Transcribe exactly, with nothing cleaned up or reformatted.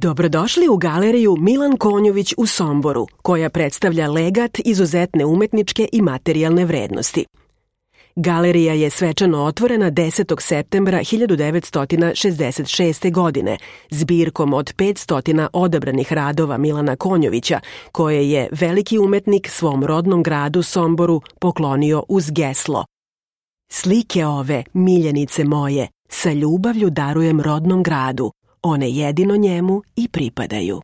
Dobrodošli u galeriju Milan Konjović u Somboru, koja predstavlja legat izuzetne umetničke i materijalne vrednosti. Galerija je svečano otvorena desetog septembra hiljadu devetsto šezdeset šeste. godine zbirkom od petsto odabranih radova Milana Konjovića, koje je veliki umetnik svom rodnom gradu Somboru poklonio uz geslo: "Slike ove, miljenice moje, sa ljubavlju darujem rodnom gradu, one jedino njemu i pripadaju."